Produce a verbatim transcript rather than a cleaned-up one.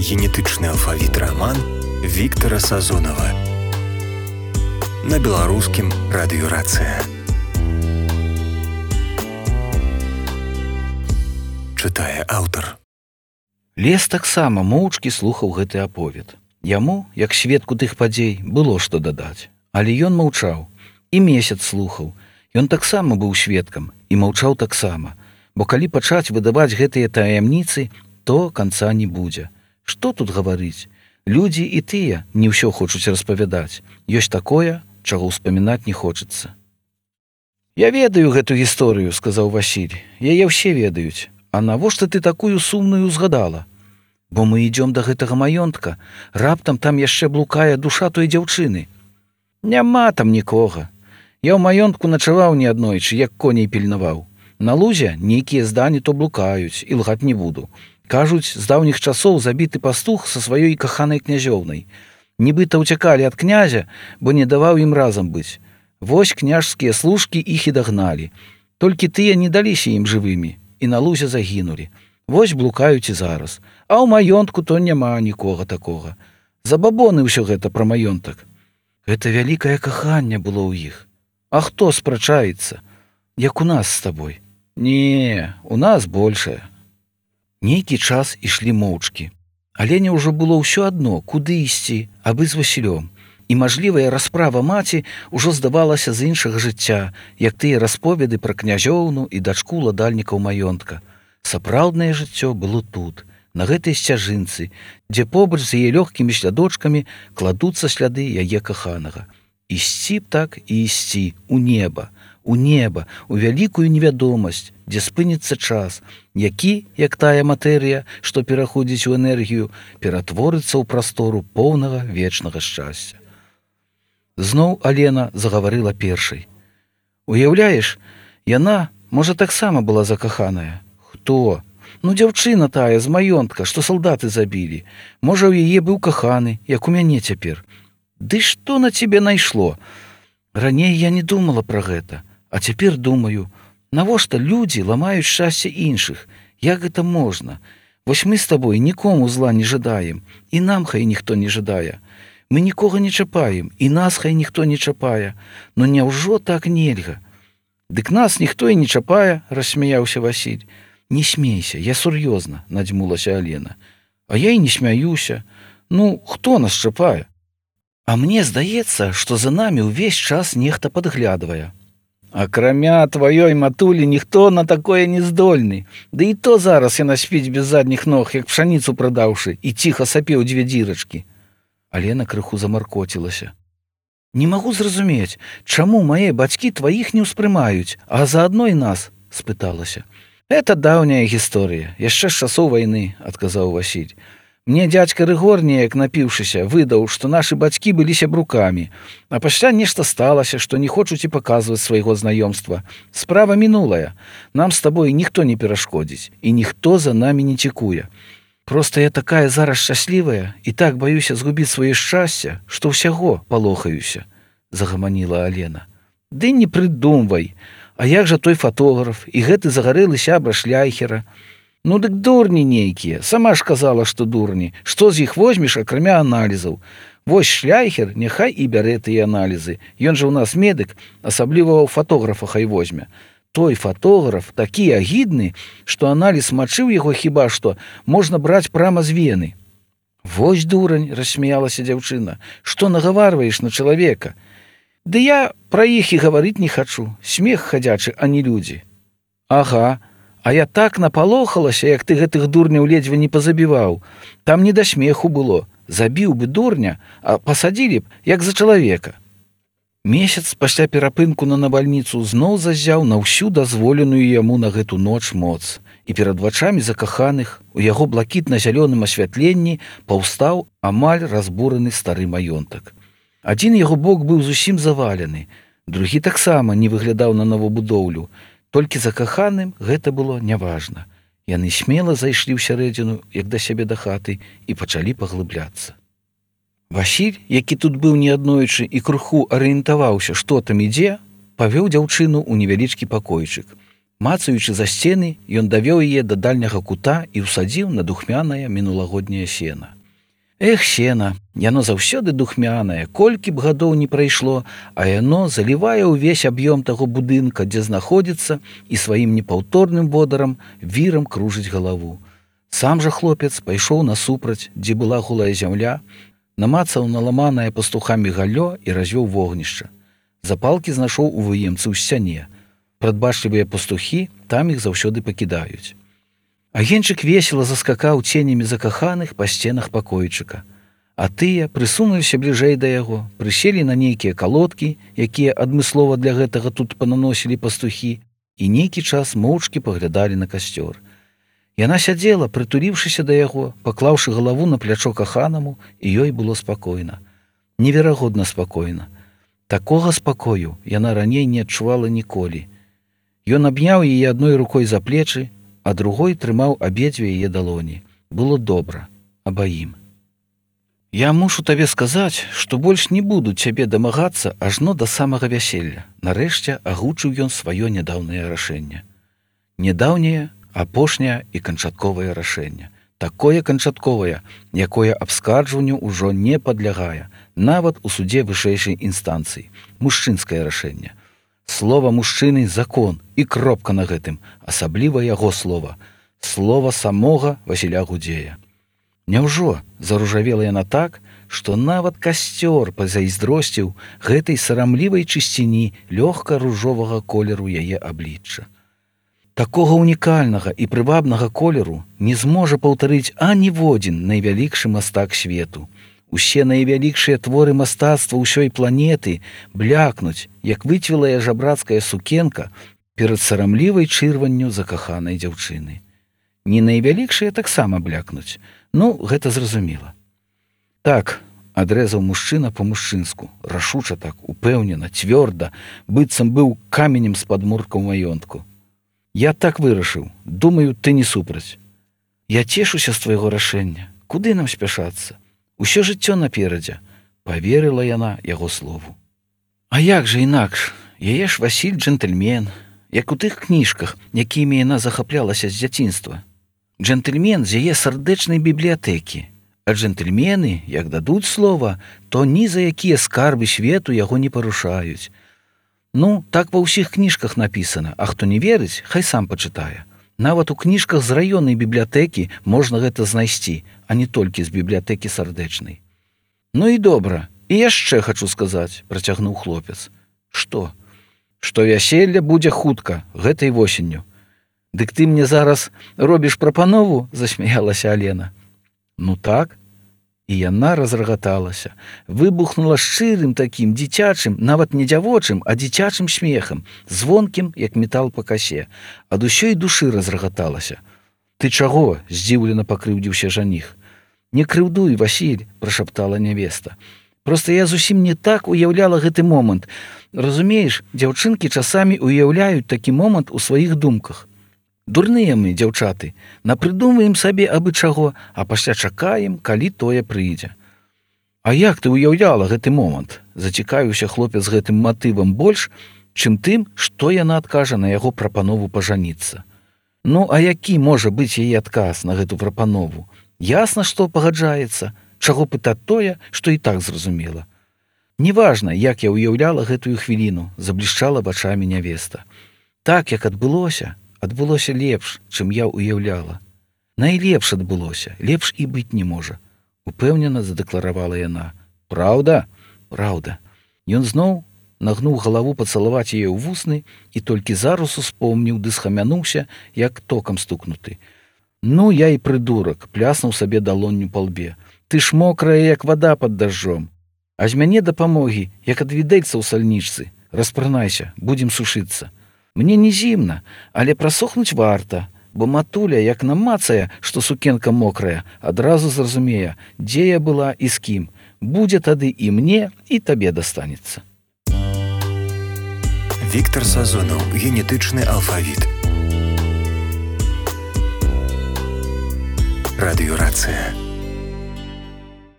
генетычны алфавіт раман Віктара Сазонава на беларускім радыёрацыя. Чытае аўтар. Лес таксама моўчкі слухаў гэты аповед. Яму, як сведку тых падзей, было што дадаць. Але ён маўчаў, і месяц слухаў. Ён таксама быў сведкам і маўчаў таксама. Бо калі пачаць выдаваць гэтыя таямніцы, то канца не будзе. Што тут гаварыць? Людзі і тыя не ўсё хочуць распавядаць. Ёсць такое, чаго ўспамінаць не хочацца. «Я ведаю гэту гісторыю», — сказаў Васіль. «Яе ўсе ведаюць. А навошта ты такую сумную згадала? Бо мы ідём да гэтага маёнтка. Раптам там яшчэ блукае душа той дзяўчыны. Няма там нікога. Я ў маёнтку начаваў неаднойчы, як коней пільнаваў. На лузе нейкія здані то блукаюць, і лгаць не буду. Кажуць, з даўніх часоў забіты пастух са сваёй каханай князёўнай. Нібыта ўцякалі ад князя, бо не даваў ім разам быць. Вось княжскія служкі іх і дагналі. Толькі тыя не даліся ім жывымі і на лузе загінулі. Вось блукаюць і зараз. А ў маёнтку то няма нікога такога. Забабоны ўсё гэта пра маёнтак. Гэта вялікае каханне было ў іх. А хто спрачаецца? Як у нас з табой? Не, у нас большае». Нейкі час ішлі моўчкі. Алене ўжо было ўсё адно, куды ісці, абы з Васілём. І мажлівая расправа маці ўжо здавалася з іншага жыцця, як тыя расповеды пра князёўну і дачку ладальнікаў маёнтка. Сапраўднае жыццё было тут, на гэтай сцяжынцы, дзе побач з яе лёгкімі слядочкамі кладуцца сляды яе каханага. Ісці б так і ісці у неба, у неба, у вялікую невядомасць, дзе спыніцца час, які, як тая матэрыя, што пераходзіць у энергію, ператворыцца ў прастору поўнага вечнага шчасця. Зноў Алена загаварыла першай. «Уяўляеш, яна, можа, таксама была закаханая. Хто? Ну, дзяўчына тая з маёнтка, што салдаты забілі. Можа, у яе быў каханы, як у мяне цяпер. Ды што на цябе найшло? Раней я не думала пра гэта, а цяпер думаю, навошта людзі ламаюць шчасце іншых? Як гэта можна? Вось мы з табой нікому зла не жадаем, і нам хай ніхто не жадае. Мы нікога не чапаем, і нас хай ніхто не чапае. Но няўжо так нельга?» «Дык нас ніхто і не чапае», — рассмяяўся Васіль. «Не смейся, я сур'ёзна», — надзьмулася Алена. «А я і не смяюся. Ну, хто нас чапае? А мне здаецца, што за намі ўвесь час нехта падглядвае». «Акрамя тваёй матулі ніхто на такое не здольны. Ды і то зараз яна спіць без задніх ног, як пшаніцу прадаўшы, і ціха сапе ў дзве дзірачкі». Алена крыху замаркоцілася. «Не магу зразумець, чаму мае бацькі тваіх не ўспрымаюць, а заадно і нас?» — спыталася. «Это даўняя гісторыя, яшчэ з часоў вайны», — адказаў Васіль. «Мне дзядзька Рыгор, неяк напіўшыся, выдаў, што нашы бацькі былі сябрукамі, а пасля нешта сталася, што не хочуць і паказваць свайго знаёмства. Справа мінулая. Нам з табой ніхто не перашкодзіць, і ніхто за намі не цікуе. Проста я такая зараз шчаслівая і так баюся згубіць сваё шчасце, што ўсяго палохаюся», — загаманіла Алена. «Ды не прыдумвай. А як жа той фатограф і гэты загарэлы сябра Шляйхера? Ну дык дурні нейкія. Сама ж казала, што дурні. Што з іх возьмеш, акрамя аналізаў? Вось Шляйхер няхай і бярэ тыя аналізы. Ён жа ў нас медык, асабліва ў фатографа хай возьме. Той фотограф такі агідны, што аналіз мачы ў яго хіба што можна браць прама з вены». «Вось дурань», — рассмяялася дзяўчына, — «што нагаварваеш на чалавека? Ды я пра іх і гаварыць не хачу. Смех хадзячы, а не людзі». «Ага, а я так напалохалася, як ты гэтых дурняў ледзьве не пазабіваў. Там не да смеху было. Забіў бы дурня, а пасадзілі б, як за чалавека». Месяц пасля перапынку на навальніцу зноў заззяў на ўсю дазволеную яму на гэту ноч моц, і перад вачамі закаханых у яго блакітна-зялёным асвятленні паўстаў амаль разбураны стары маёнтак. Адзін яго бок быў зусім завалены, другі таксама не выглядаў на новабудоўлю, толькі закаханым гэта было няважна. Яны смела зайшлі ў сярэдзіну, як да сябе да хаты, і пачалі паглыбляцца. Васіль, які тут быў неаднойчы і крыху арыентаваўся, што там ідзе, павёў дзяўчыну ў невялічкі пакойчык. Мацаючы за сцены, ён давёў яе да дальняга кута і ўсадзіў на духмянае мінулагодняе сена. Эх, сена, яно заўсёды духмянае, колькі б гадоў не прайшло, а яно залівае ўвесь аб'ём таго будынка, дзе знаходзіцца, і сваім непаўторным водарам вірам кружыць галаву. Сам жа хлопец пайшоў насупраць, дзе была голая зямля, намацаў наламанае пастухамі галлё і развёў вогнішча. Запалкі знайшоў у выемцы ў сцяне. Прадбачлівыя пастухі там іх заўсёды пакідаюць. Агеньчык весела заскакаў ценямі закаханых па сценах пакойчыка. А тыя прысунуліся бліжэй да яго, прыселі на нейкія калодкі, якія адмыслова для гэтага тут пананосілі пастухі, і нейкі час моўчкі паглядалі на касцёр. Яна сядзела, прытуліўшыся да яго, паклаўшы галаву на плячо каханаму, і ёй было спакойна. Неверагодна спакойна. Такога спакою яна раней не адчувала ніколі. Ён абняў яе адной рукой за плечы, а другой трымаў абедзве яе далоні. Было добра, абаім. Я мушу табе сказаць, што больш не буду цябе дамагацца ажно да самага вяселля. Нарэшце агучыў ён сваё нядаўнае рашэнне. Нядаўняе, апошняе і канчатковае рашэнне. Такое канчатковае, якое абскарджванню ўжо не падлягае, нават у судзе вышэйшай інстанцыі. Мужчынскае рашэнне. Слова мужчыны – закон, і кропка на гэтым, асабліва яго слова. Слова самога Васіля Гудзея. Няўжо заружавела яна так, што нават касцёр пазайздросціў гэтай сарамлівай чысціні лёгка-ружовага колеру яе аблічча. Такога унікальнага і прывабнага колеру не зможа паўтарыць аніводзін найвялікшы мастак свету. Усе найвялікшыя творы мастацтва ўсёй планеты блякнуць, як выцвілая жабрацкая сукенка перад сарамлівай чырванню закаханай дзяўчыны. Не найвялікшыя таксама блякнуць. Ну, гэта зразумела. Так, адрэзаў мужчына па-мужчынску, рашуча так, упэўнена, цвёрда, быццам быў каменем з падмурка ў маёнтку. Я так вырашыў, думаю, ты не супраць. Я цешуся з твайго рашэння. Куды нам спяшацца? Усё жыццё наперадзе, паверыла яна яго слову. А як жа інакш? Яе ж Васіль джентльмен, як у тых кніжках, якімі яна захаплялася з дзяцінства. Джентльмен з яе сардэчнай бібліятэкі. А джентльмены, як дадуць слова, то ні за якія скарбы свету яго не парушаюць. Ну, так ва ўсіх кніжках напісана, а хто не верыць, хай сам пачытае. Нават у кніжках з раённай бібліятэкі можна гэта знайсці, а не толькі з бібліятэкі сардэчнай. Ну і добра, і яшчэ хачу сказаць, працягнуў хлопец. Што? Што вяселле будзе хутка, гэтай восенню. Дык ты мне зараз робіш прапанову, засмяялася Алена. Ну так. І яна разрагаталася, выбухнула шчырым такім дзіцячым, нават не дзявочым, а дзіцячым смехам, звонкім, як метал па касе. Ад усёй душы разрагаталася. Ты чаго? Здзіўлена пакрыўдзіўся жаніх. Не крыўдуй, Васіль, прашаптала нявеста. Проста я зусім не так уяўляла гэты момант. Разумееш, дзяўчынкі часамі уяўляюць такі момант у сваіх думках. Дурныя мы, дзяўчаты, напрыдумваем сабе абы чаго, а пасля чакаем, калі тое прыйдзе. А як ты уяўляла гэты момант? Зацікавіўся хлопец гэтым матывам больш, чым тым, што яна адкажа на яго прапанову пажаніцца. Ну, а які можа быць яе адказ на гэту прапанову? Ясна, што пагаджаецца, чаго пытаць тое, што і так зразумела. Неважна, як я уяўляла гэтую хвіліну, заблішчала вачамі нявеста. Так, як адбылося, адбылося лепш, чым я уяўляла. Найлепш адбылося, лепш і быць не можа. Упэўнена задэкларавала яна. Праўда? Праўда. Ён зноў нагнуў галаву пацалаваць яе ў вусны і толькі зараз успомніў ды схамянуўся, як токам стукнуты. Ну, я і прыдурак, пляснуў сабе далонню па лбе. Ты ж мокрая, як вада пад дажджом. А з мяне дапамогі, як ад відэльца ў сальнічцы. Распранайся, будзем сушыцца. Мне не зімна, але прасохнуць варта, бо матуля, як намацае, што сукенка мокрая, адразу зразумее, дзе я была і з кім. Будзе тады і мне, і табе дастанецца. Віктор Сазонаў. Генетычны алфавіт. Радыёрацыя.